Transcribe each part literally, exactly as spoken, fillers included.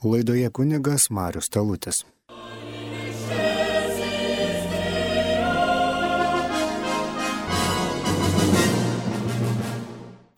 Laidoje kunigas Marius Talutis.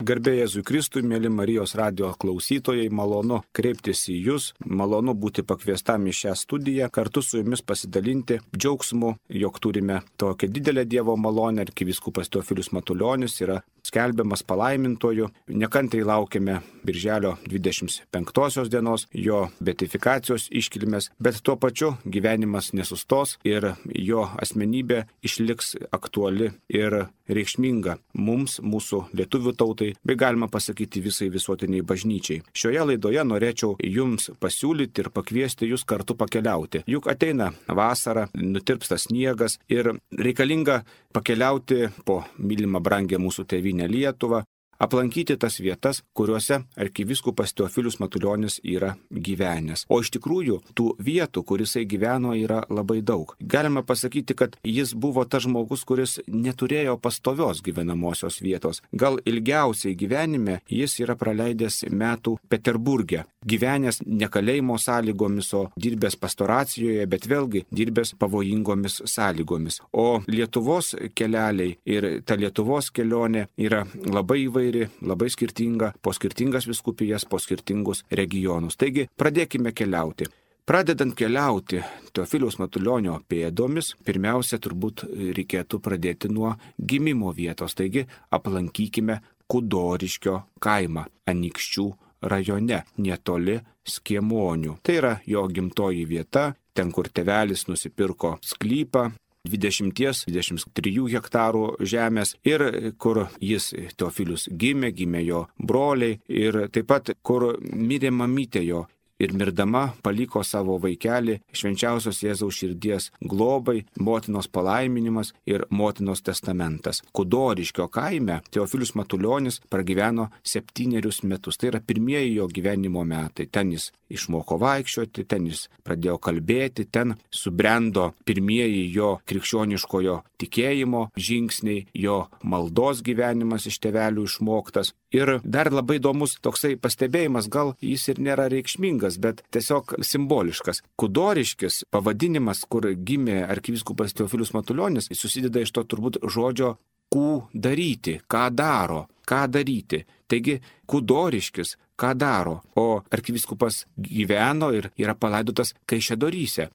Garbė Jėzui Kristui, mėly Marijos radijo klausytojai, malonu kreiptis į Jūs, malonu būti pakviestam į šią studiją, kartu su Jumis pasidalinti džiaugsmu, jog turime tokią didelę Dievo malonę. Arkivyskupas Teofilius Matulionis yra skelbiamas palaimintoju. Nekantriai laukiame birželio dvidešimt penktosios dienos, jo beatifikacijos iškilmės, bet tuo pačiu gyvenimas nesustos ir jo asmenybė išliks aktuali ir reikšminga mums, mūsų lietuvių tautai, bei galima pasakyti visai visuotiniai bažnyčiai. Šioje laidoje norėčiau Jums pasiūlyti ir pakviesti Jūs kartu pakeliauti. Juk ateina vasara, nutirpsta sniegas ir reikalinga pakeliauti po mylimą brangę mūsų tėvynę Lietuvą, aplankyti tas vietas, kuriuose arkivyskupas Teofilius Matulionis yra gyvenęs. O iš tikrųjų, tų vietų, kur jisai gyveno, yra labai daug. Galima pasakyti, kad jis buvo tas žmogus, kuris neturėjo pastovios gyvenamosios vietos. Gal ilgiausiai gyvenime jis yra praleidęs metų Peterburge. Gyvenęs ne kalėjimo sąlygomis, o dirbęs pastoracijoje, bet vėlgi dirbęs pavojingomis sąlygomis. O Lietuvos keleliai ir ta Lietuvos kelionė yra labai įvairi, labai skirtinga, po skirtingas vyskupijas, po skirtingus regionus. Taigi, pradėkime keliauti. Pradedant keliauti Teofiliaus Matulionio pėdomis, pirmiausia, turbūt reikėtų pradėti nuo gimimo vietos. Taigi, aplankykime Kudoriškio kaimą Anykščių rajone, netoli Skiemonių. Tai yra jo gimtoji vieta, ten, kur tėvelis nusipirko sklypą, dvidešimt dvidešimt trijų hektarų žemės ir kur jis Teofilius gimė, gimė jo broliai ir taip pat kur mirė mamytė jo. Ir mirdama paliko savo vaikelį švenčiausios Jėzaus širdies globai, motinos palaiminimas ir motinos testamentas. Kudoriškio kaime Teofilius Matulionis pragyveno septynerius metus. Tai yra pirmieji jo gyvenimo metai. Ten jis išmoko vaikščioti, ten jis pradėjo kalbėti, ten subrendo pirmieji jo krikščioniškojo tikėjimo žingsniai, jo maldos gyvenimas iš tėvelių išmoktas. Ir dar labai įdomus toksai pastebėjimas, gal jis ir nėra reikšmingas, bet tiesiog simboliškas. Kudoriškis pavadinimas, kur gimė arkivyskupas Teofilius Matulionis, susideda iš to turbūt žodžio kū daryti, ką daro, ką daryti. Taigi Kudoriškis, ką daro, o arkivyskupas gyveno ir yra palaidotas Kaišiadoryse.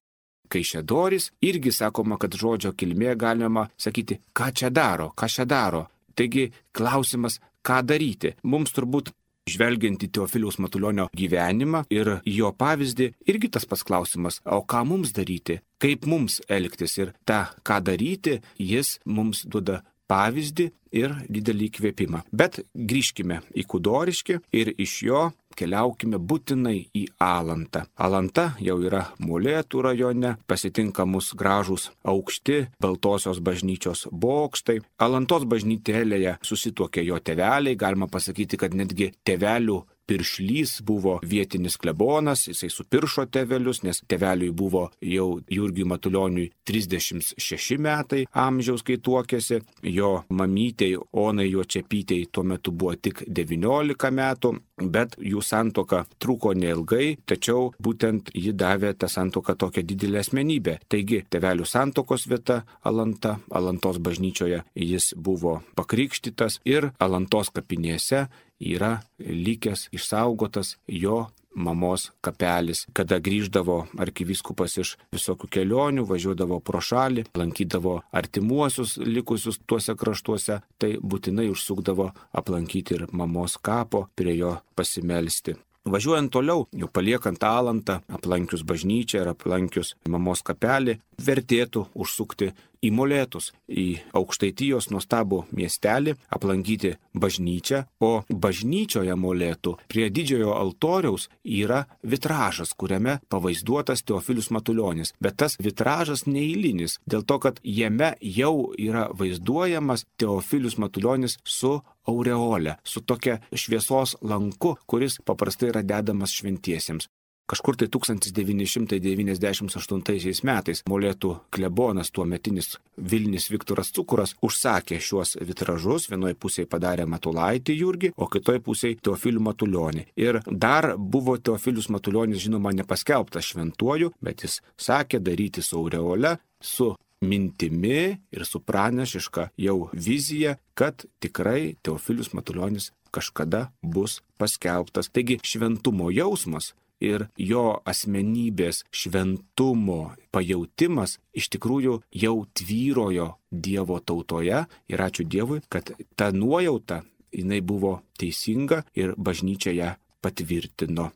Kaišiadorys irgi sakoma, kad žodžio kilmė galima sakyti, ką čia daro, ką čia daro. Taigi klausimas, ką daryti. Mums turbūt žvelgiant į Teofiliaus Matulionio gyvenimą ir jo pavyzdį, irgi tas pats klausimas, o ką mums daryti, kaip mums elgtis ir tą, ką daryti, jis mums duoda pavyzdį ir didelį įkvėpimą. Bet grįžkime į Kudoriškį ir iš jo keliaukime būtinai į Alantą. Alanta jau yra Molėtų rajone, pasitinka mus gražūs aukšti Baltosios bažnyčios bokštai. Alantos bažnytėlėje susituokė jo tėveliai, galima pasakyti, kad netgi tėvelių piršlys buvo vietinis klebonas, jisai supiršo tėvelius, nes tėveliui buvo jau Jurgiui Matulioniui trisdešimt šeši metai amžiaus, kai tuokėsi, jo mamytei Onai Juočepytei tuo metu buvo tik devyniolika metų, bet jų santuoka truko neilgai, tačiau būtent ji davė tą santuoką tokią didelę asmenybę. Taigi, tėvelių santuokos vieta Alanta, Alantos bažnyčioje jis buvo pakrikštytas ir Alantos kapinėse yra likęs išsaugotas jo mamos kapelis. Kada grįždavo arkivyskupas iš visokių kelionių, važiuodavo pro šalį, lankydavo artimuosius likusius tuose kraštuose, tai būtinai užsukdavo aplankyti ir mamos kapo, prie jo pasimelsti. Važiuojant toliau, jau paliekant Alantą, aplankius bažnyčią ir aplankius mamos kapelį, vertėtų užsukti į Molėtus, į Aukštaitijos nuostabų miestelį, aplankyti bažnyčią, o bažnyčioje Molėtų prie didžiojo altoriaus yra vitražas, kuriame pavaizduotas Teofilius Matulionis. Bet tas vitražas neeilinis, dėl to, kad jame jau yra vaizduojamas Teofilius Matulionis su aureole, su tokia šviesos lanku, kuris paprastai yra dedamas šventiesiems. Kažkur tai tūkstantis devyni šimtai devyniasdešimt aštuntaisiais metais Molėtų klebonas, tuometinis Vilnis Viktoras Cukuras, užsakė šiuos vitražus. Vienoje pusėje padarė Matulaitį Jurgį, o kitoje pusėje Teofilių Matulionį. Ir dar buvo Teofilius Matulionis, žinoma, nepaskelbtas šventuoju, bet jis sakė daryti su aureole, su mintimi ir su pranešiška jau vizija, kad tikrai Teofilius Matulionis kažkada bus paskelbtas. Taigi šventumo jausmas ir jo asmenybės šventumo pajautimas iš tikrųjų jau tvyrojo Dievo tautoje ir ačiū Dievui, kad ta nuojauta jinai buvo teisinga ir bažnyčia ją patvirtino.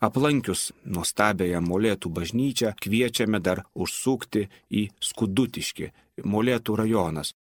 Aplankius nuostabiąją Molėtų bažnyčią kviečiame dar užsukti į Skudutiškį, Molėtų rajonas.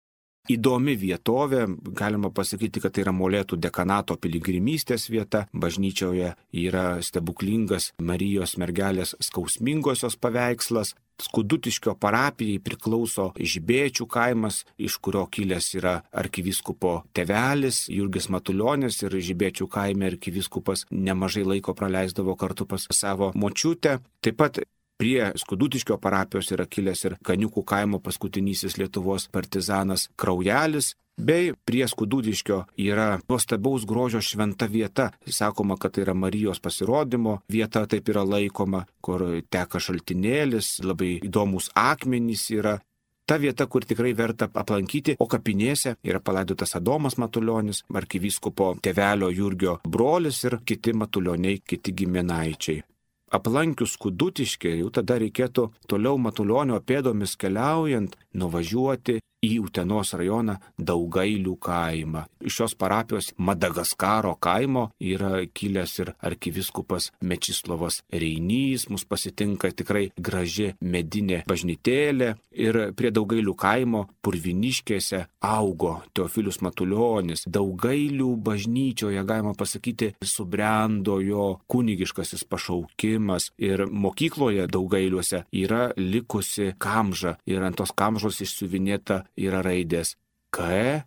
Įdomi vietovė, galima pasakyti, kad tai yra Molėtų dekanato piligrimystės vieta. Bažnyčioje yra stebuklingas Marijos mergelės skausmingosios paveikslas. Skudutiškio parapijai priklauso Žibėčių kaimas, iš kurio kilęs yra arkivyskupo tėvelis Jurgis Matulionis, ir Žibėčių kaime arkivyskupas nemažai laiko praleisdavo kartu pas savo močiutę. Taip pat prie Skudutiškio parapijos yra kilęs ir Kaniukų kaimo paskutinysis Lietuvos partizanas Kraujelis, bei prie Skudutiškio yra nuostabaus grožio šventa vieta. Sakoma, kad tai yra Marijos pasirodymo vieta, taip yra laikoma, kur teka šaltinėlis, labai įdomus akmenys yra. Ta vieta, kur tikrai verta aplankyti, o kapinėse yra palaidotas Adomas Matulionis, arkivyskupo tėvelio Jurgio brolis ir kiti Matulioniai, kiti giminaičiai. Aplankius Skudutiškį, jau tada reikėtų toliau Matulionio pėdomis keliaujant nuvažiuoti į Utenos rajoną Daugailių kaimą. Iš šios parapijos Madagaskaro kaimo yra kilęs ir arkivyskupas Mečislovas Reinys. Mus pasitinka tikrai graži medinė bažnytėlė ir prie Daugailių kaimo Purviniškėse augo Teofilius Matulionis. Daugailių bažnyčioje, galima pasakyti, subrendo jo kunigiškasis pašaukimas ir mokykloje Daugailiuose yra likusi kamža ir ant tos kamžos išsiuvinėta yra raidės K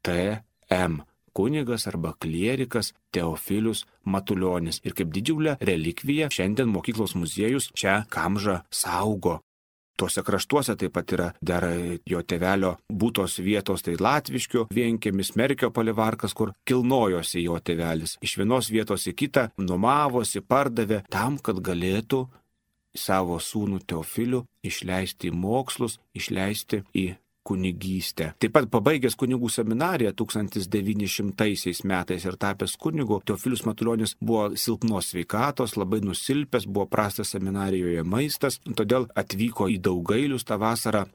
T M, kunigas arba klierikas Teofilius Matulionis. Ir kaip didžiulę relikviją šiandien mokyklos muziejus šią kamžą saugo. Tuose kraštuose taip pat yra dar jo tėvelio būtos vietos, tai Latviškių vienkiemis, Merkio palivarkas, kur kilnojosi jo tėvelis. Iš vienos vietos į kitą nuomavosi, pardavė tam, kad galėtų savo sūnų Teofilių išleisti į mokslus, išleisti į kunigystę. Taip pat pabaigęs kunigų seminariją tūkstantis devyni šimtaisiais metais ir tapęs kunigu, Teofilius Matulionis buvo silpnos sveikatos, labai nusilpęs, buvo prastas seminarijoje maistas, todėl atvyko į Daugailius tą vasarą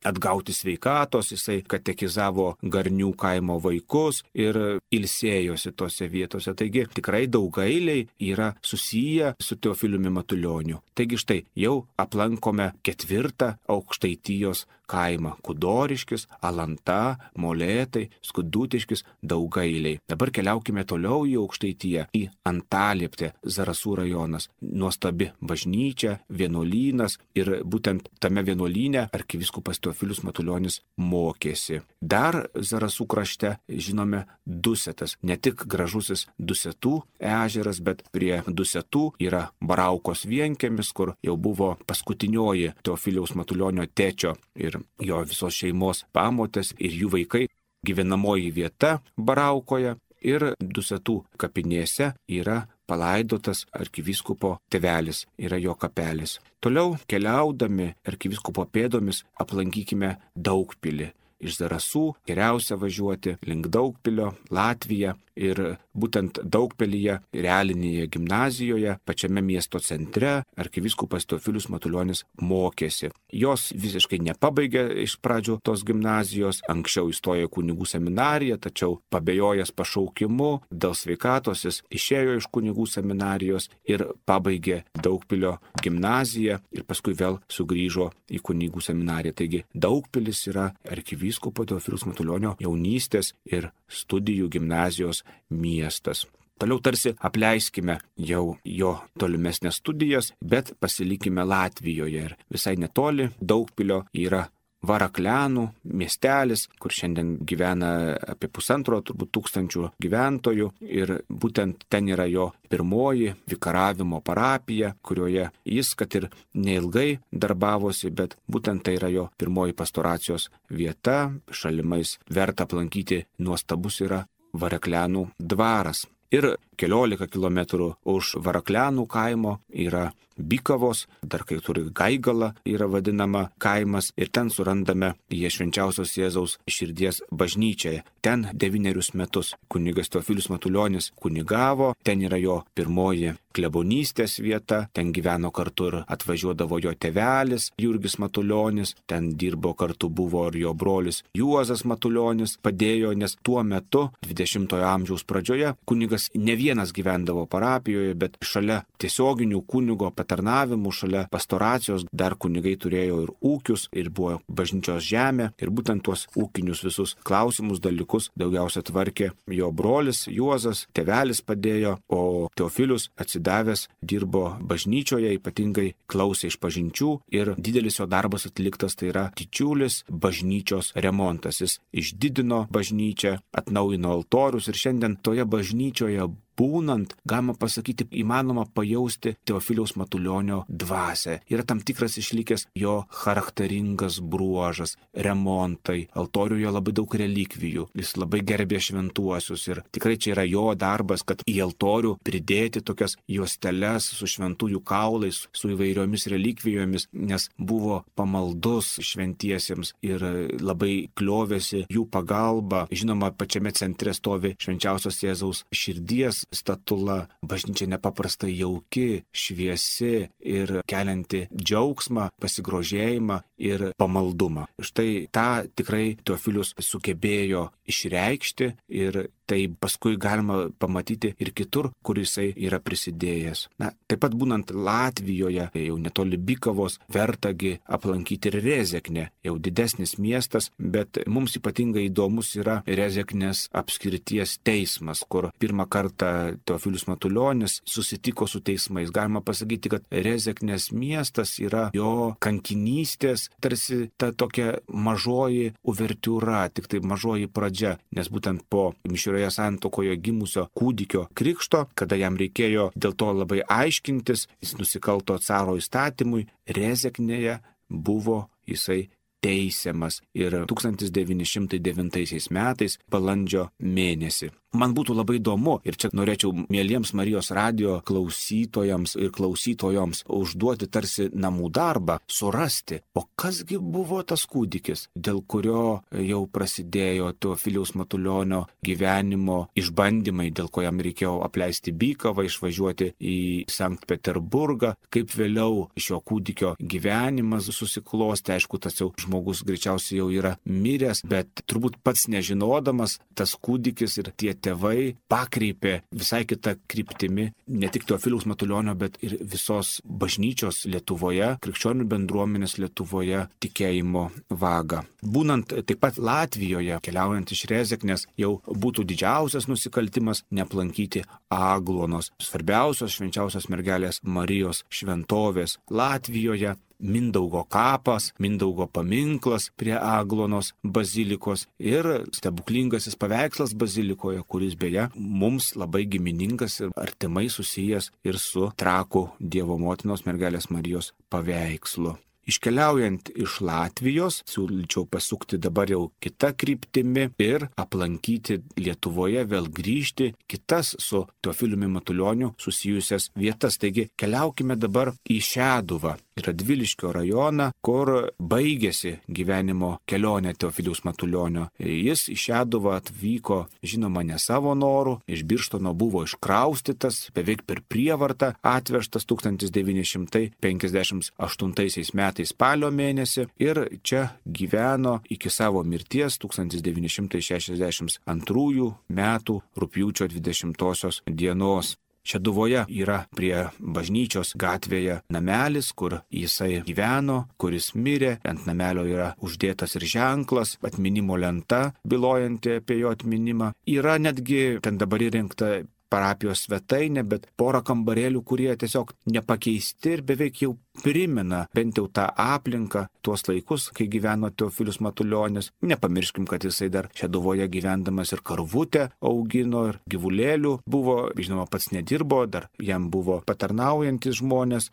atgauti sveikatos, jisai katekizavo Garnių kaimo vaikus ir ilsėjosi tose vietose. Taigi tikrai Daugailiai yra susiję su Teofiliumi Matulioniu. Taigi štai jau aplankome ketvirtą Aukštaitijos kaimą - Kudoriškis, Alanta, Molėtai, Skudutiškis, Daugailiai. Dabar keliaukime toliau į Aukštaitiją, į Antalieptę, Zarasų rajonas. Nuostabi bažnyčia, vienuolynas ir būtent tame vienuolyne arkivyskupas Teofilius Matulionis mokėsi. Dar Zarasų krašte žinome Dusetas, ne tik gražusis Dusetų ežeras, bet prie Dusetų yra Baraukos vienkiemis, kur jau buvo paskutinioji Teofiliaus Matulionio tėčio ir jo visos šeimos pamotės ir jų vaikai. Gyvenamoji vieta Baraukoje ir Dusetų kapinėse yra palaidotas arkivyskupo tėvelis, yra jo kapelis. Toliau keliaudami arkivyskupo pėdomis aplankykime Daugpilį. Iš Zarasų geriausia važiuoti link Daugpilio, Latviją ir būtent Daugpilyje, realinėje gimnazijoje, pačiame miesto centre arkivyskupas Teofilius Matulionis mokėsi. Jos visiškai nepabaigė iš pradžių tos gimnazijos, anksčiau įstojo į kunigų seminariją, tačiau pabejojęs pašaukimu dėl sveikatos jis išėjo iš kunigų seminarijos ir pabaigė Daugpilio gimnaziją ir paskui vėl sugrįžo į kunigų seminariją. Taigi Daugpilis yra arkivyskupo Teofiliaus Matulionio jaunystės ir studijų gimnazijos miestas. Toliau tarsi apleiskime jau jo tolimesnės studijas, bet pasilikime Latvijoje ir visai netoli Daugpilio yra Varaklianų miestelis, kur šiandien gyvena apie pusantro turbūt tūkstančių gyventojų ir būtent ten yra jo pirmoji vikaravimo parapija, kurioje jis, kad ir neilgai darbavosi, bet būtent tai yra jo pirmoji pastoracijos vieta. Šalimais verta aplankyti nuostabus yra Varaklianų dvaras. Ir keliolika kilometrų už Varaklianų kaimo yra Bykavos, dar kai turi Gaigala yra vadinama kaimas, ir ten surandame jie Švenčiausios Jėzaus širdies bažnyčią. Ten devynerius metus kunigas Teofilius Matulionis kunigavo, ten yra jo pirmoji klebonystės vieta, ten gyveno kartu ir atvažiuodavo jo tėvelis Jurgis Matulionis, ten dirbo kartu buvo ir jo brolis Juozas Matulionis, padėjo, nes tuo metu, dvidešimtojo amžiaus pradžioje, kunigas ne vienas gyvendavo parapijoje, bet šalia tiesioginių kunigo patarnavimų, šalia pastoracijos dar kunigai turėjo ir ūkius, ir buvo bažnyčios žemė, ir būtent tuos ūkinius visus klausimus, dalykus daugiausia tvarkė jo brolis Juozas, tėvelis padėjo, o Teofilius atsidavęs dirbo bažnyčioje, ypatingai klausė iš pažinčių, ir didelis jo darbas atliktas, tai yra didžiulis bažnyčios remontas. Jis išdidino bažnyčią, atnaujino altorius, ir šiandien toje bažnyčioje būnant, galima pasakyti, įmanoma pajausti Teofiliaus Matulionio dvasią. Yra tam tikras išlikęs jo charakteringas bruožas, remontai, altoriuje labai daug relikvijų, jis labai gerbė šventuosius, ir tikrai čia yra jo darbas, kad į altorių pridėti tokias juosteles su šventųjų kaulais, su įvairiomis relikvijomis, nes buvo pamaldus šventiesiems ir labai kliovėsi jų pagalba. Žinoma, pačiame centre stovi Švenčiausios Jėzaus širdies statula, bažnyčia nepaprastai jauki, šviesi ir kelianti džiaugsmą, pasigrožėjimą ir pamaldumą. Štai tą tikrai Teofilius sugebėjo išreikšti, ir tai paskui galima pamatyti ir kitur, kur jisai yra prisidėjęs. Na, taip pat būnant Latvijoje, jau netoli Bykavos, vertagi aplankyti ir Rezeknę, jau didesnis miestas, bet mums ypatingai įdomus yra Rezeknės apskrities teismas, kur pirmą kartą Teofilius Matulionis susitiko su teismais. Galima pasakyti, kad Rezeknės miestas yra jo kankinystės, tarsi ta tokia mažoji uvertiūra, tik tai mažoji pradžia, nes būtent po mišrioje santuokoje gimusio kūdikio krikšto, kada jam reikėjo dėl to labai aiškintis, jis nusikalto caro įstatymui, Rezeknėje buvo jisai teisiamas, ir tūkstantis devyni šimtai devintaisiais metais balandžio mėnesį. Man būtų labai įdomu, ir čia norėčiau mieliems Marijos radijo klausytojams ir klausytojoms užduoti tarsi namų darbą, surasti, o kasgi buvo tas kūdikis, dėl kurio jau prasidėjo Teofiliaus Matulionio gyvenimo išbandymai, dėl ko jam reikėjo apleisti Bykavą, išvažiuoti į Sankt Peterburgą, kaip vėliau šio kūdikio gyvenimas susiklosti. Aišku, tas jau žmogus greičiausiai jau yra miręs, bet turbūt pats nežinodamas, tas kūdikis ir tie tėvai pakreipė visai kitą kryptimi ne tik Teofiliaus Matulionio, bet ir visos bažnyčios Lietuvoje, krikščionių bendruomenės Lietuvoje tikėjimo vagą. Būnant taip pat Latvijoje, keliaujant iš Rezeknės, jau būtų didžiausias nusikaltimas neaplankyti Aglonos, svarbiausios švenčiausios mergelės Marijos šventovės Latvijoje. Mindaugo kapas, Mindaugo paminklas prie Aglonos bazilikos ir stebuklingasis paveikslas bazilikoje, kuris beje mums labai giminingas ir artimai susijęs ir su Trakų Dievo motinos mergelės Marijos paveikslu. Iškeliaujant iš Latvijos, siūlyčiau pasukti dabar jau kitą kryptimi ir aplankyti Lietuvoje, vėl grįžti kitas su Teofiliumi Matulioniu susijusias vietas. Taigi keliaukime dabar į Šeduvą, į Radviliškio rajoną, kur baigėsi gyvenimo kelionė Teofiliaus Matulionio. Jis į Šeduvą atvyko, žinoma, ne savo noru, iš Birštono buvo iškraustytas, beveik per prievartą atvežtas tūkstantis devyni šimtai penkiasdešimt aštuntaisiais metais spalio mėnesį, ir čia gyveno iki savo mirties tūkstantis devyni šimtai šešiasdešimt antrųjų metų rugpjūčio dvidešimtosios dienos. Šeduvoje yra prie bažnyčios gatvėje namelis, kur jisai gyveno, kuris mirė. Ant namelio yra uždėtas ir ženklas, atminimo lenta, bylojanti apie jo atminimą. Yra netgi ten dabar įrengta parapijos svetainę, bet porą kambarėlių, kurie tiesiog nepakeisti ir beveik jau primena bent jau tą aplinką, tuos laikus, kai gyveno Teofilius Matulionis. Nepamirškim, kad jisai dar Šeduvoje gyvendamas ir karvutę augino, ir gyvulėlių buvo, žinoma, pats nedirbo, dar jam buvo patarnaujantis žmonės.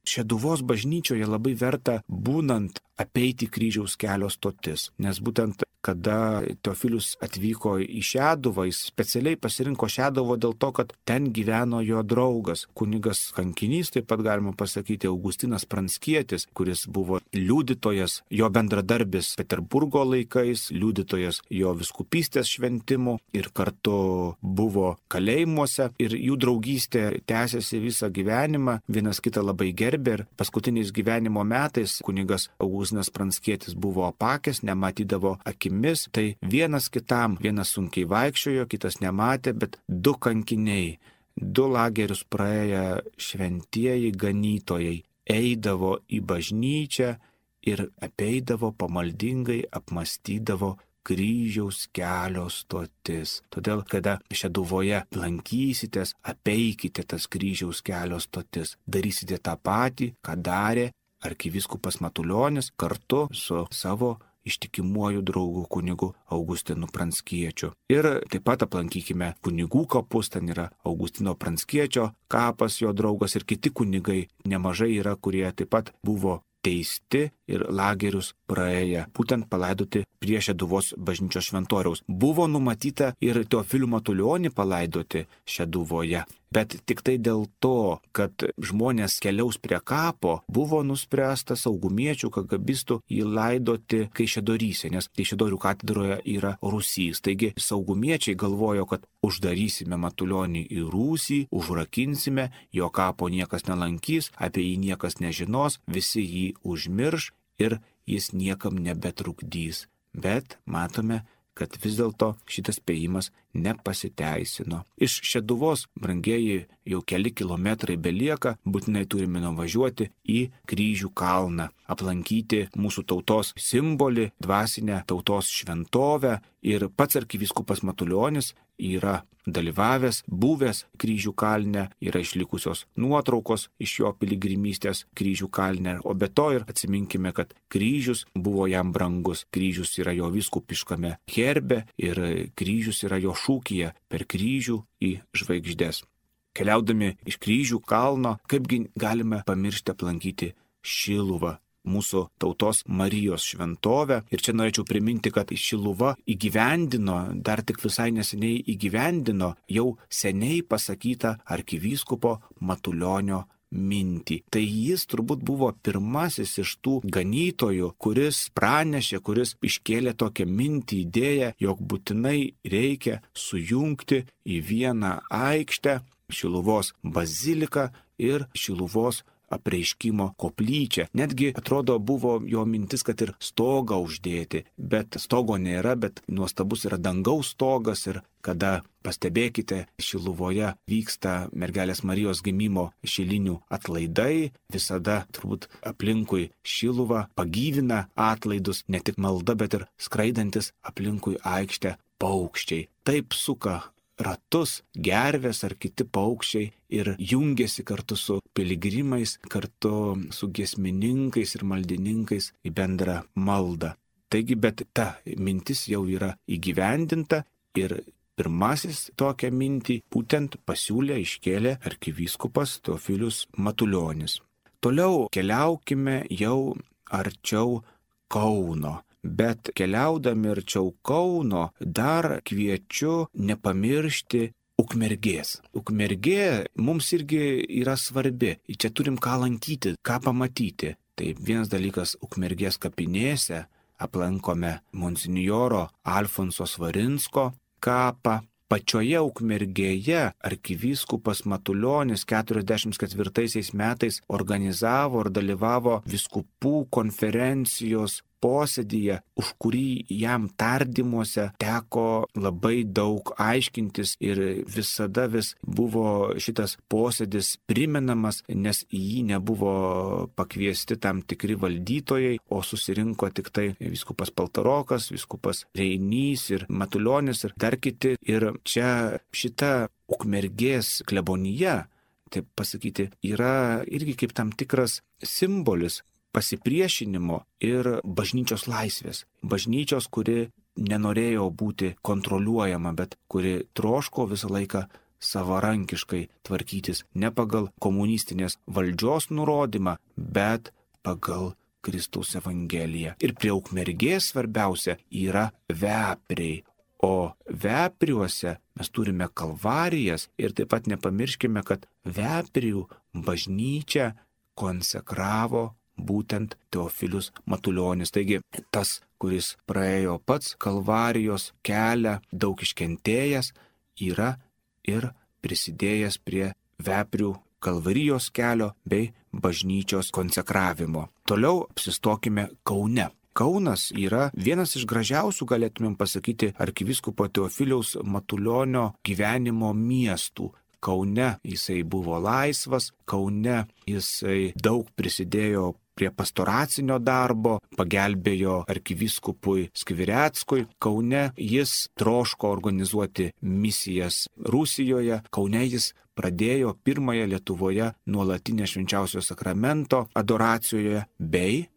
Šeduvos bažnyčioje labai verta būnant apeiti kryžiaus kelio stotis, nes būtent kada Teofilius atvyko į Šeduvą, jis specialiai pasirinko Šeduvą dėl to, kad ten gyveno jo draugas, kunigas kankinys, taip pat galima pasakyti Augustinas Pranckietis, kuris buvo liudytojas, jo bendradarbis Peterburgo laikais, liudytojas jo vyskupystės šventimų ir kartu buvo kalėjimuose ir jų draugystė tęsiasi visą gyvenimą, vienas kitą labai gerbė ir paskutiniais gyvenimo metais kunigas Augustinas Pranckietis buvo apakęs, nematydavo akimis, tai vienas kitam, vienas sunkiai vaikščiojo, kitas nematė, bet du kankiniai, du lagerius praėję šventieji ganytojai eidavo į bažnyčią ir apeidavo pamaldingai, apmastydavo kryžiaus kelio stotis. Todėl, kada Šeduvoje lankysitės, apeikite tas kryžiaus kelio stotis. Darysite tą patį, ką darė arkivyskupas Matulionis kartu su savo ištikimuoju draugu kunigu Augustinu Pranckiečio. Ir taip pat aplankykime kunigų kapus, ten yra Augustino Pranckiečio kapas, jo draugas ir kiti kunigai nemažai yra, kurie taip pat buvo teisti ir lagerius praėję, būtent palaidoti prie Šeduvos bažnyčios šventoriaus. Buvo numatyta ir Teofilių Matulionį palaidoti Šeduvoje, bet tik tai dėl to, kad žmonės keliaus prie kapo, buvo nuspręsta saugumiečių, kagabistų jį laidoti Kaišiadoryse, nes Kaišiadorių katedroje yra rūsys. Taigi saugumiečiai galvojo, kad uždarysime Matulionį į rūsį, užrakinsime, jo kapo niekas nelankys, apie jį niekas nežinos, visi jį užmirš ir jis niekam nebetrukdys. Bet matome, kad vis dėlto šitas spėjimas nepasiteisino. Iš Šeduvos, brangieji, jau keli kilometrai belieka, būtinai turime nuvažiuoti į Kryžių kalną, aplankyti mūsų tautos simbolį, dvasinę tautos šventovę ir pats arkivyskupas Matulionis yra dalyvavęs, buvęs Kryžių kalne, yra išlikusios nuotraukos iš jo piligrimystės Kryžių kalne, o be to ir atsiminkime, kad kryžius buvo jam brangus, kryžius yra jo vyskupiškame herbe ir kryžius yra jo šūkyje per kryžių į žvaigždės. Keliaudami iš Kryžių kalno, kaipgi galime pamiršti aplankyti Šiluvą, mūsų tautos Marijos šventovę. Ir čia norėčiau priminti, kad Šiluva įgyvendino, dar tik visai neseniai įgyvendino jau seniai pasakytą arkivyskupo Matulionio mintį. Tai jis turbūt buvo pirmasis iš tų ganytojų, kuris pranešė, kuris iškėlė tokią mintį, idėją, jog būtinai reikia sujungti į vieną aikštę Šiluvos baziliką ir Šiluvos apreiškimo koplyčią. Netgi, atrodo, buvo jo mintis, kad ir stogą uždėti, bet stogo nėra, bet nuostabus yra dangaus stogas ir kada, pastebėkite, Šiluvoje vyksta mergelės Marijos gimimo šilinių atlaidai, visada turbūt aplinkui Šiluvą pagyvina atlaidus, ne tik malda, bet ir skraidantis aplinkui aikštę paukščiai. Taip suka ratus gervės ar kiti paukščiai ir jungiasi kartu su piligrimais, kartu su giesmininkais ir maldininkais į bendrą maldą. Taigi, bet ta mintis jau yra įgyvendinta ir pirmasis tokią mintį būtent pasiūlė, iškėlė arkivyskupas Teofilius Matulionis. Toliau keliaukime jau arčiau Kauno. Bet keliaudami arčiau Kauno dar kviečiu nepamiršti Ukmergės. Ukmergė mums irgi yra svarbi. Čia turim ką lankyti, ką pamatyti. Tai vienas dalykas Ukmergės kapinėse aplankome monsinjoro Alfonso Svarinsko kapą. Pačioje Ukmergėje arkivyskupas Matulionis keturiasdešimt ketvirtaisiais metais organizavo ir dalyvavo vyskupų konferencijos posėdyje, už kurį jam tardymuose teko labai daug aiškintis ir visada vis buvo šitas posėdis primenamas, nes į jį nebuvo pakviesti tam tikri valdytojai, o susirinko tik tai vyskupas Paltarokas, vyskupas Reinys ir Matulionis ir dar kiti. Ir čia šita Ukmergės klebonija, taip pasakyti, yra irgi kaip tam tikras simbolis pasipriešinimo ir bažnyčios laisvės. Bažnyčios, kuri nenorėjo būti kontroliuojama, bet kuri troško visą laiką savarankiškai tvarkytis ne pagal komunistinės valdžios nurodymą, bet pagal Kristaus Evangeliją. Ir prie Ukmergės svarbiausia yra vepriai. O vepriuose mes turime kalvarijas ir taip pat nepamirškime, kad veprių bažnyčią konsekravo būtent Teofilius Matulionis. Taigi tas, kuris praėjo pats kalvarijos kelią, daug iškentėjęs, yra ir prisidėjęs prie veprių kalvarijos kelio bei bažnyčios konsekravimo. Toliau apsistokime Kaune. Kaunas yra vienas iš gražiausių, galėtumėm pasakyti, arkivyskupo Teofiliaus Matulionio gyvenimo miestų. Kaune jisai buvo laisvas, Kaune jisai daug prisidėjo prie pastoracinio darbo, pagelbėjo arkivyskupui Skvireckui. Kaune jis troško organizuoti misijas Rusijoje. Kaune jis pradėjo pirmąją Lietuvoje nuolatinę švenčiausio sakramento adoracijoje, bei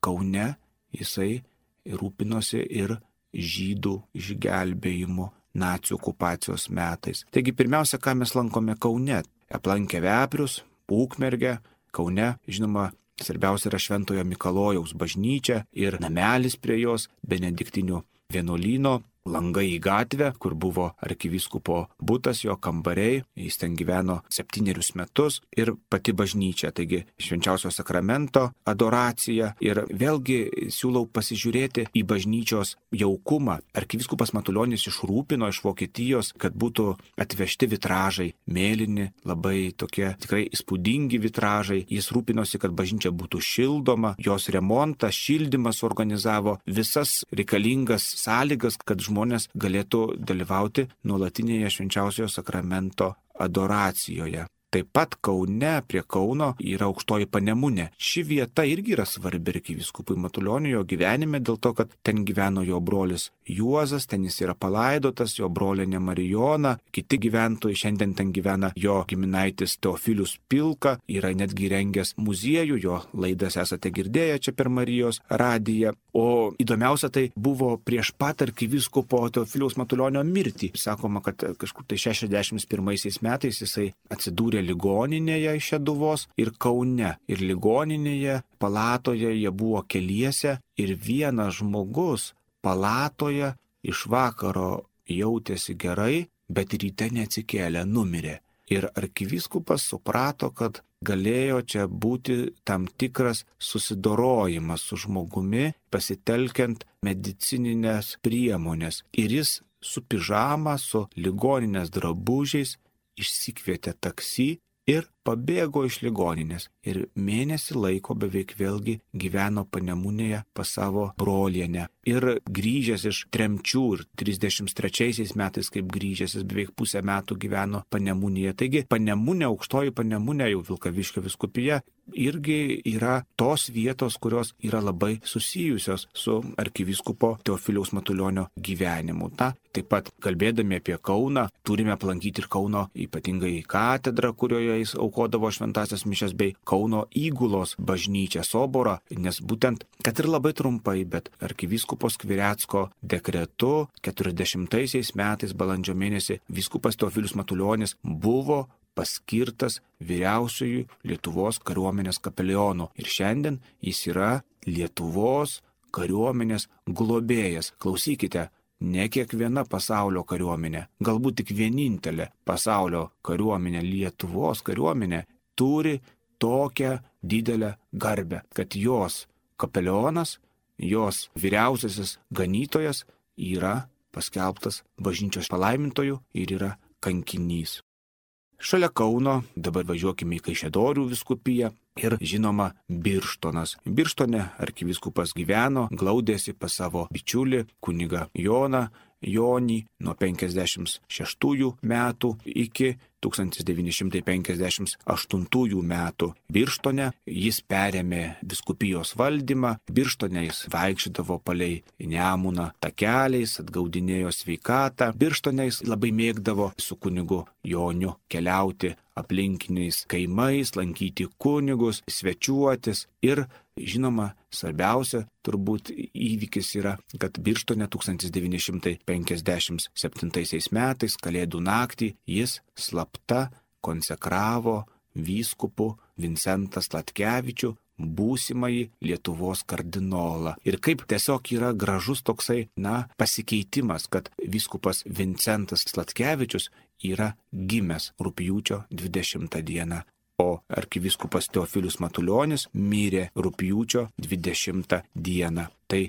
Kaune jisai rūpinosi ir žydų išgelbėjimu nacių okupacijos metais. Taigi pirmiausia, ką mes lankome Kaune, aplankę veprius, Ukmergę. Kaune, žinoma, svarbiausia yra Šventojo Mikalojaus bažnyčia ir namelis prie jos, benediktinių vienuolyno, langai į gatvę, kur buvo arkivyskupo butas, jo kambariai, jis ten gyveno septynerius metus, ir pati bažnyčia, taigi švenčiausio sakramento adoracija. Ir vėlgi siūlau pasižiūrėti į bažnyčios jaukumą. Arkivyskupas Matulionis išrūpino iš Vokietijos, kad būtų atvežti vitražai, mėlyni, labai tokie tikrai įspūdingi vitražai. Jis rūpinosi, kad bažnyčia būtų šildoma, jos remontą, šildymas organizavo, visas reikalingas sąlygas, kad žmonės žmonės galėtų dalyvauti nuolatinėje švenčiausiojo sakramento adoracijoje. Taip pat Kaune, prie Kauno, yra Aukštoji Panemunė. Ši vieta irgi yra svarbi arkivyskupui Matulioniui jo gyvenime, dėl to, kad ten gyveno jo brolis Juozas, ten jis yra palaidotas, jo brolienė Marijona, kiti gyventojai, šiandien ten gyvena jo giminaitis Teofilius Pilka, yra netgi rengęs muziejų, jo laidas esate girdėję čia per Marijos radiją. O įdomiausia, tai buvo prieš pat arkivyskupo Teofiliaus Matulionio mirtį. Sakoma, kad kažkur tai šešiasdešimt pirmaisiais metais jisai atsidūrė ligoninėje iš Šeduvos ir Kaune. Ir ligoninėje, palatoje jie buvo keliese ir vienas žmogus palatoje iš vakaro jautėsi gerai, bet ryte neatsikėlė, numirė. Ir arkivyskupas suprato, kad galėjo čia būti tam tikras susidorojimas su žmogumi, pasitelkiant medicininės priemonės. Ir jis su pižama, su ligoninės drabužiais išsikvietė taksi ir pabėgo iš ligoninės. Ir mėnesį laiko beveik vėlgi gyveno Panemunėje pas savo brolienę. Ir grįžęs iš tremčių ir trisdešimt trečiaisiais metais, kaip grįžęs, jis beveik pusę metų gyveno Panemunėje. Taigi Panemunė, Aukštoji Panemunė, jau Vilkaviškio vyskupija, irgi yra tos vietos, kurios yra labai susijusios su arkivyskupo Teofiliaus Matulionio gyvenimu. Ta, taip pat kalbėdami apie Kauną, turime aplankyti ir Kauno ypatingai katedrą, kurioje jis aukodavo šventasias mišias, bei Kauno įgulos bažnyčią Soborą, nes būtent, kad ir labai trumpai, bet arkivyskupo Skvirecko dekretu keturiasdešimtaisiais metais balandžio mėnesį vyskupas Teofilius Matulionis buvo paskirtas vyriausiųjų Lietuvos kariuomenės kapelionu. Ir šiandien jis yra Lietuvos kariuomenės globėjas. Klausykite, ne kiekviena pasaulio kariuomenė, galbūt tik vienintelė pasaulio kariuomenė, Lietuvos kariuomenė, turi tokią didelę garbę, kad jos kapelionas, jos vyriausiasis ganytojas yra paskelbtas bažnyčios palaimintoju ir yra kankinys. Šalia Kauno, dabar važiuokime į Kaišiadorių vyskupiją ir žinoma Birštonas. Birštone arkivyskupas gyveno, glaudėsi pas savo bičiulį kunigą Joną Jonį nuo penkiasdešimt šeštųjų metų iki tūkstantis devyni šimtai penkiasdešimt aštuntųjų metų. Birštone jis perėmė vyskupijos valdymą, Birštone jis vaikščiodavo palei Nemuną takeliais, atgaudinėjo sveikatą. Birštone jis labai mėgdavo su kunigu Joniu keliauti aplinkiniais kaimais, lankyti kunigus, svečiuotis ir, žinoma, svarbiausia turbūt įvykis yra, kad Birštone tūkstantis devyni šimtai penkiasdešimt septintaisiais metais, Kalėdų naktį, jis slapta konsekravo vyskupu Vincentą Sladkevičių, būsimąjį Lietuvos kardinolą. Ir kaip tiesiog yra gražus toksai, na, pasikeitimas, kad vyskupas Vincentas Sladkevičius yra gimęs rugpjūčio dvidešimtą dieną, o arkivyskupas Teofilius Matulionis mirė rugpjūčio dvidešimtą dieną. Tai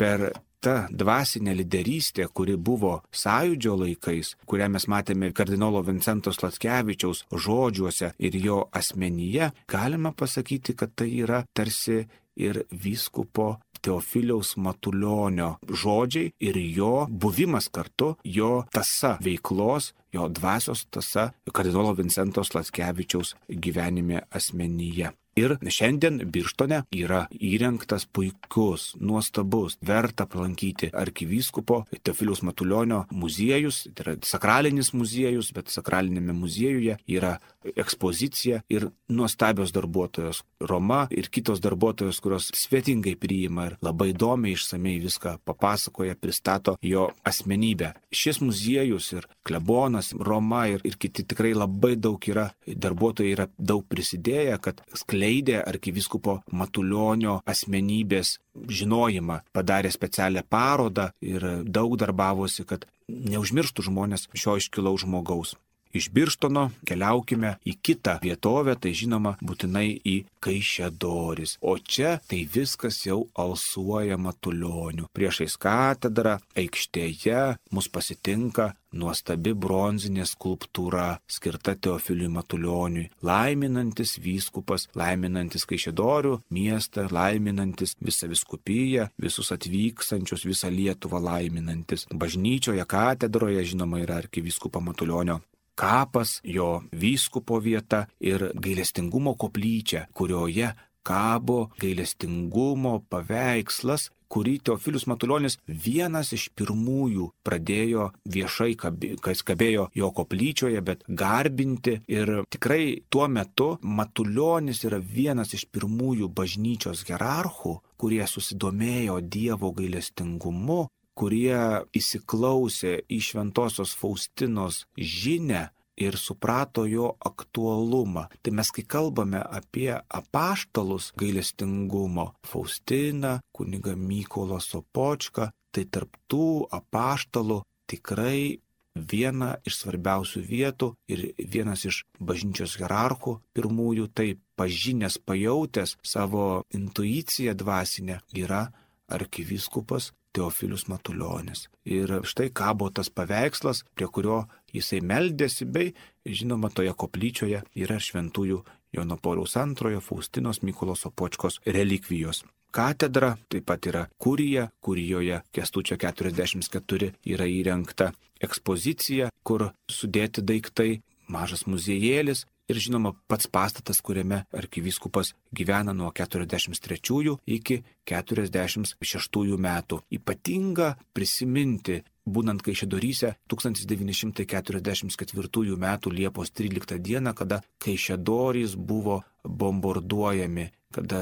per ta dvasinė lyderystė, kuri buvo sąjūdžio laikais, kurią mes matėme kardinolo Vincento Sladkevičiaus žodžiuose ir jo asmenyje, galima pasakyti, kad tai yra tarsi ir vyskupo Teofiliaus Matulionio žodžiai ir jo buvimas kartu, jo tasa veiklos, jo dvasios tasa kardinolo Vincento Sladkevičiaus gyvenime asmenyje. Ir šiandien Birštone yra įrengtas puikus, nuostabus, verta aplankyti arkivyskupo Teofiliaus Matulionio muziejus, tai yra sakralinis muziejus, bet sakralinėme muziejuje yra ekspozicija ir nuostabios darbuotojos Roma ir kitos darbuotojos, kurios svetingai priima ir labai įdomiai išsamei viską papasakoja, pristato jo asmenybę. Šis muziejus ir klebonas, Roma ir, ir kiti tikrai labai daug yra, darbuotojai yra daug prisidėję, kad skleidė arkivyskupo Matulionio asmenybės žinojimą, padarė specialią parodą ir daug darbavosi, kad neužmirštų žmonės šio iškilaus žmogaus. Iš Birštono keliaukime į kitą vietovę, tai žinoma būtinai į Kaišiadoris. O čia tai viskas jau alsuoja Matulioniu. Priešais katedrą, aikštėje mus pasitinka nuostabi bronzinė skulptūra skirta Teofiliui Matulioniui, laiminantis vyskupas, laiminantis Kaišiadorių miestą, laiminantis visą vyskupiją, visus atvykstančius, visą Lietuvą laiminantis. Bažnyčioje, katedroje, žinoma, yra arkivyskupo Matulionio kapas, jo vyskupo vieta ir gailestingumo koplyčia, kurioje kabo gailestingumo paveikslas, kurį Teofilius Matulionis vienas iš pirmųjų pradėjo viešai, kas kabėjo jo koplyčioje, bet garbinti. Ir tikrai tuo metu Matulionis yra vienas iš pirmųjų bažnyčios hierarchų, kurie susidomėjo Dievo gailestingumu, kurie įsiklausė į šventosios Faustinos žinią ir suprato jo aktualumą. Tai mes, kai kalbame apie apaštalus gailestingumo, Faustiną, kunigą Mykolą Sopočką, tai tarp tų apaštalų tikrai viena iš svarbiausių vietų ir vienas iš bažnyčios hierarchų pirmųjų, tai pažinęs, pajautęs savo intuiciją dvasinę, yra arkivyskupas Teofilius Matulionis. Ir štai kabo tas paveikslas, prie kurio jisai meldėsi, bei, žinoma, toje koplyčioje yra šventųjų Jono Pauliaus antrojo, Faustinos, Mykolo Sopočkos relikvijos. Katedra taip pat yra kurija, kurijoje Kęstučio keturiasdešimt keturi yra įrengta ekspozicija, kur sudėti daiktai, mažas muziejėlis. Ir žinoma, pats pastatas, kuriame arkivyskupas gyvena nuo keturiasdešimt trečiųjų iki keturiasdešimt šeštųjų metų. Ypatinga prisiminti, būnant Kaišiadoryse tūkstantis devyni šimtai keturiasdešimt ketvirtųjų metų Liepos tryliktą dieną, kada Kaišiadorys buvo bombarduojami, kada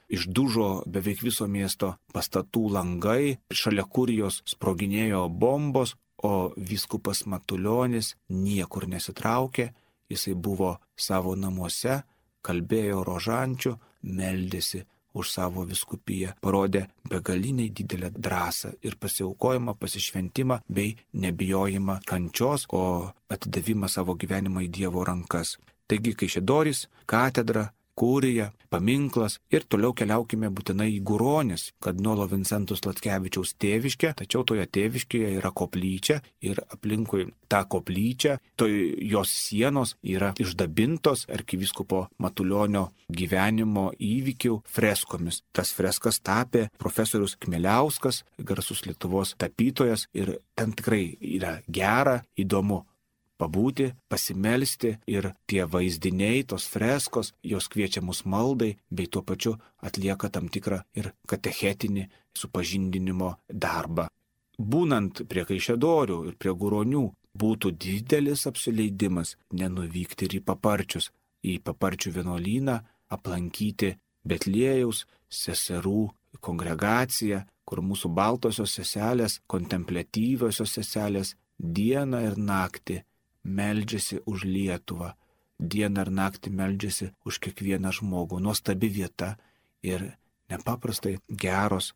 išdužo beveik viso miesto pastatų langai, šalia kurijos sproginėjo bombos, o vyskupas Matulionis niekur nesitraukė. Jisai buvo savo namuose, kalbėjo rožančių, meldėsi už savo vyskupiją, parodė begaliniai didelę drąsą ir pasiaukojimą, pasišventimą bei nebijojimą kančios, o atidavimą savo gyvenimą į Dievo rankas. Taigi Kaišiadorys, katedra, kurija, paminklas ir toliau keliaukime būtinai į Guronis, kardinolo Vincento Sladkevičiaus tėviškę, tačiau toje tėviškėje yra koplyčia ir aplinkui tą koplyčią, toj jos sienos yra išdabintos arkivyskupo Matulionio gyvenimo įvykių freskomis. Tas freskas tapė profesorius Kmieliauskas, garsus Lietuvos tapytojas ir ten tikrai yra gera, įdomu pabūti, pasimelsti ir tie vaizdiniai, tos freskos, jos kviečia mus maldai, bei tuo pačiu atlieka tam tikrą ir katechetinį supažindinimo darbą. Būnant prie Kaišiadorių ir prie Guronių, būtų didelis apsileidimas nenuvykti ir į Paparčius, į Paparčių vienuolyną, aplankyti Betliejaus seserų kongregaciją, kur mūsų baltosios seselės, kontempliatyviosios seselės dieną ir naktį meldžiasi už Lietuvą, dieną ir naktį meldžiasi už kiekvieną žmogų. Nuostabi vieta ir nepaprastai geros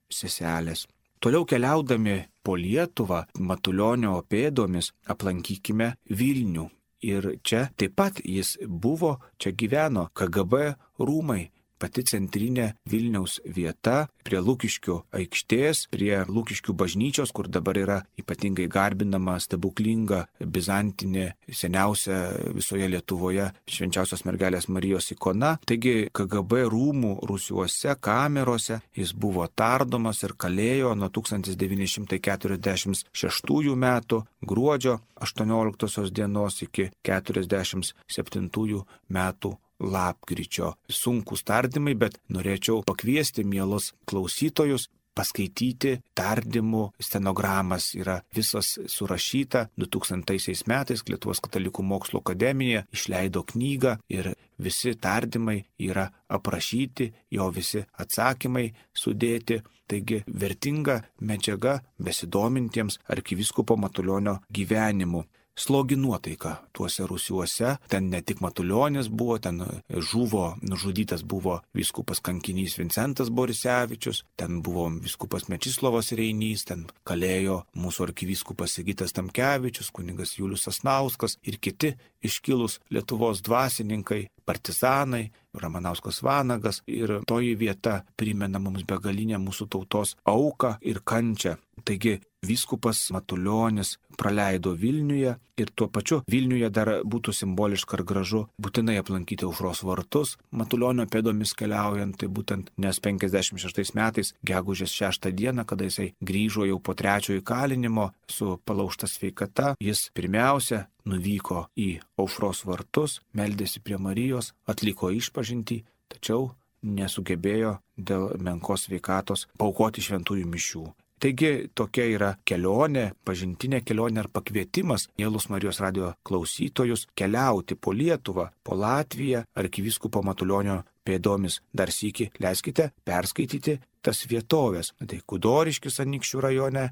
seselės. Toliau keliaudami po Lietuvą, Matulionio pėdomis aplankykime Vilnių. Ir čia taip pat jis buvo, čia gyveno K G B rūmai. Pati centrinė Vilniaus vieta prie Lukiškių aikštės, prie Lukiškių bažnyčios, kur dabar yra ypatingai garbinama stebuklinga bizantinė, seniausia visoje Lietuvoje švenčiausios mergelės Marijos ikona. Taigi K G B rūmų rūsiuose, kamerose jis buvo tardomas ir kalėjo nuo tūkstantis devyni šimtai keturiasdešimt šeštųjų metų gruodžio aštuonioliktosios dienos iki keturiasdešimt septintųjų metų lapkričio. Sunkūs tardymai, bet norėčiau pakviesti mielus klausytojus paskaityti tardymų stenogramas. Yra visas surašyta. du tūkstantaisiais metais Lietuvos katalikų mokslo akademija išleido knygą ir visi tardymai yra aprašyti, jo visi atsakymai sudėti. Taigi vertinga medžiaga besidomintiems arkivyskupo Matulionio gyvenimu. Slogi nuotaika tuose rūsiuose, ten ne tik Matulionis buvo, ten žuvo, nužudytas buvo vyskupas kankinys Vincentas Borisevičius, ten buvo vyskupas Mečislovas Reinys, ten kalėjo mūsų arkivyskupas Sigitas Tamkevičius, kunigas Julius Sasnauskas ir kiti iškilus Lietuvos dvasininkai, partizanai, Ramanauskas Vanagas, ir toji vieta primena mums begalinę mūsų tautos auką ir kančią. Taigi vyskupas Matulionis praleido Vilniuje ir tuo pačiu Vilniuje dar būtų simboliška ir gražu būtinai aplankyti Aušros vartus. Matulionio pėdomis keliaujant, tai būtent nes penkiasdešimt šeštais metais, gegužės šeštą dieną, kada jisai grįžo jau po trečiojo įkalinimo su palaužta sveikata, jis pirmiausia nuvyko į Aušros vartus, meldėsi prie Marijos, atliko išpažintį, tačiau nesugebėjo dėl menkos sveikatos paaukoti šventųjų mišių. Taigi tokia yra kelionė, pažintinė kelionė ar pakvietimas mielus Marijos radijo klausytojus keliauti po Lietuvą, po Latviją, arkivyskupo Matulionio pėdomis. Dar sykį leiskite perskaityti tas vietovės. Tai Kudoriškis Anykščių rajone,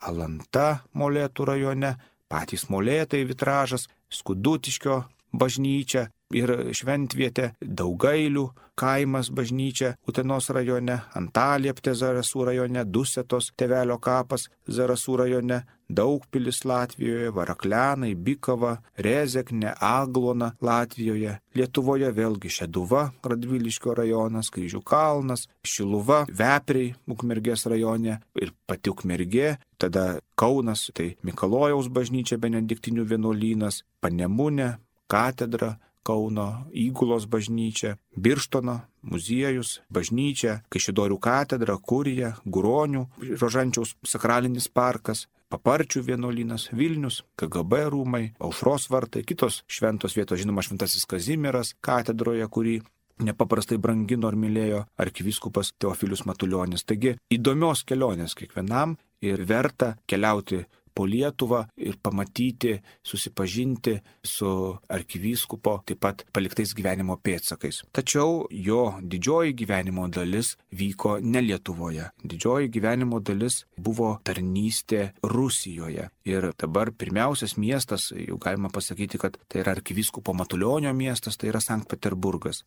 Alanta Molėtų rajone, patys Molėtai Vitražas, Skudutiškio bažnyčia ir šventvietė, Daugailių kaimas bažnyčia Utenos rajone, Antalieptė Zarasų rajone, Dusetos Tėvelio kapas Zarasų rajone, Daugpilis Latvijoje, Varaklenai, Bikava, Rezekne, Aglona Latvijoje, Lietuvoje vėlgi Šeduva, Radviliškio rajonas, Kryžių kalnas, Šiluva, Vepriai, Ukmergės rajone ir pati Ukmergė, tada Kaunas, tai Mikalojaus bažnyčia, Benediktinių vienuolynas, Panemunė, katedra, Kauno Įgulos bažnyčia, Birštono muziejus, bažnyčia, Kaišiadorių katedra, kurija, Guronių, Rožančiaus sakralinis parkas, Paparčių vienuolynas, Vilnius, K G B rūmai, Aušros vartai, kitos šventos vietos, žinoma, Šventasis Kazimieras katedroje, kurį nepaprastai brangino ir mylėjo arkivyskupas Teofilius Matulionis. Taigi įdomios kelionės kiekvienam ir verta keliauti po Lietuvą ir pamatyti, susipažinti su arkivyskupo taip pat paliktais gyvenimo pėdsakais. Tačiau jo didžioji gyvenimo dalis vyko ne Lietuvoje. Didžioji gyvenimo dalis buvo tarnystė Rusijoje. Ir dabar pirmiausias miestas, jau galima pasakyti, kad tai yra arkivyskupo Matulionio miestas, tai yra Sankt Peterburgas.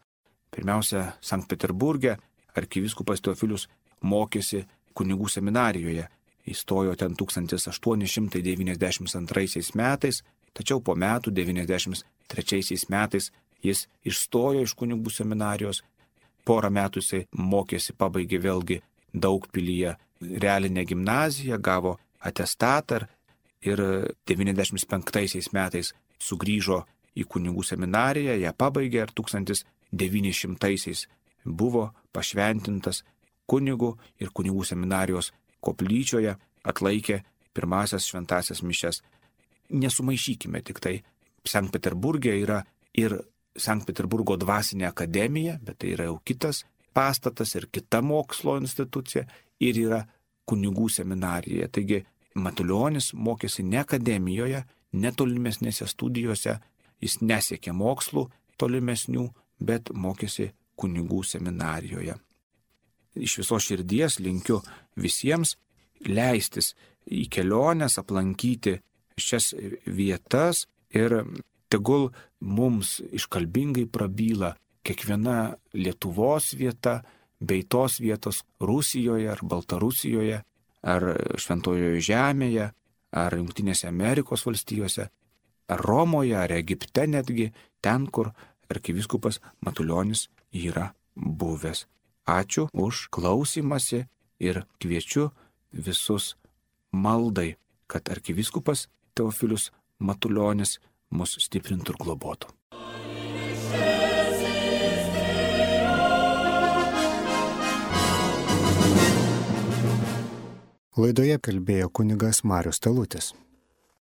Pirmiausia, Sankt Peterburge arkivyskupas Teofilius mokėsi kunigų seminarijoje. Įstojo ten tūkstantis aštuoni šimtai devyniasdešimt antraisiais metais, tačiau po metų devyniasdešimt trečiaisiais metais jis išstojo iš kunigų seminarijos, porą metų jisai mokėsi, pabaigė vėlgi Daugpilyje realinę gimnaziją, gavo atestatą ir devyniasdešimt penktaisiais metais sugrįžo į kunigų seminariją, ją pabaigė ir tūkstantis devyni šimtaisiais buvo pašventintas kunigu ir kunigų seminarijos koplyčioje atlaikė pirmasias šventasias mišias. Nesumaišykime tik tai. Sankt Peterburge yra ir Sankt Peterburgo dvasinė akademija, bet tai yra jau kitas pastatas ir kita mokslo institucija, ir yra kunigų seminarija. Taigi Matulionis mokėsi ne akademijoje, ne tolimesnėse studijose, jis nesiekė mokslų tolimesnių, bet mokėsi kunigų seminarijoje. Iš viso širdies linkiu visiems leistis į keliones, aplankyti šias vietas ir tegul mums iškalbingai prabyla kiekviena Lietuvos vieta, bei tos vietos Rusijoje ar Baltarusijoje, ar Šventojoje Žemėje, ar Jungtinėse Amerikos valstijose, ar Romoje, ar Egipte netgi, ten, kur arkivyskupas Matulionis yra buvęs. Ačiū už klausymąsi ir kviečiu visus maldai, kad arkivyskupas Teofilius Matulionis mus stiprintų ir globotų. Laidoje kalbėjo kunigas Marius Talutis.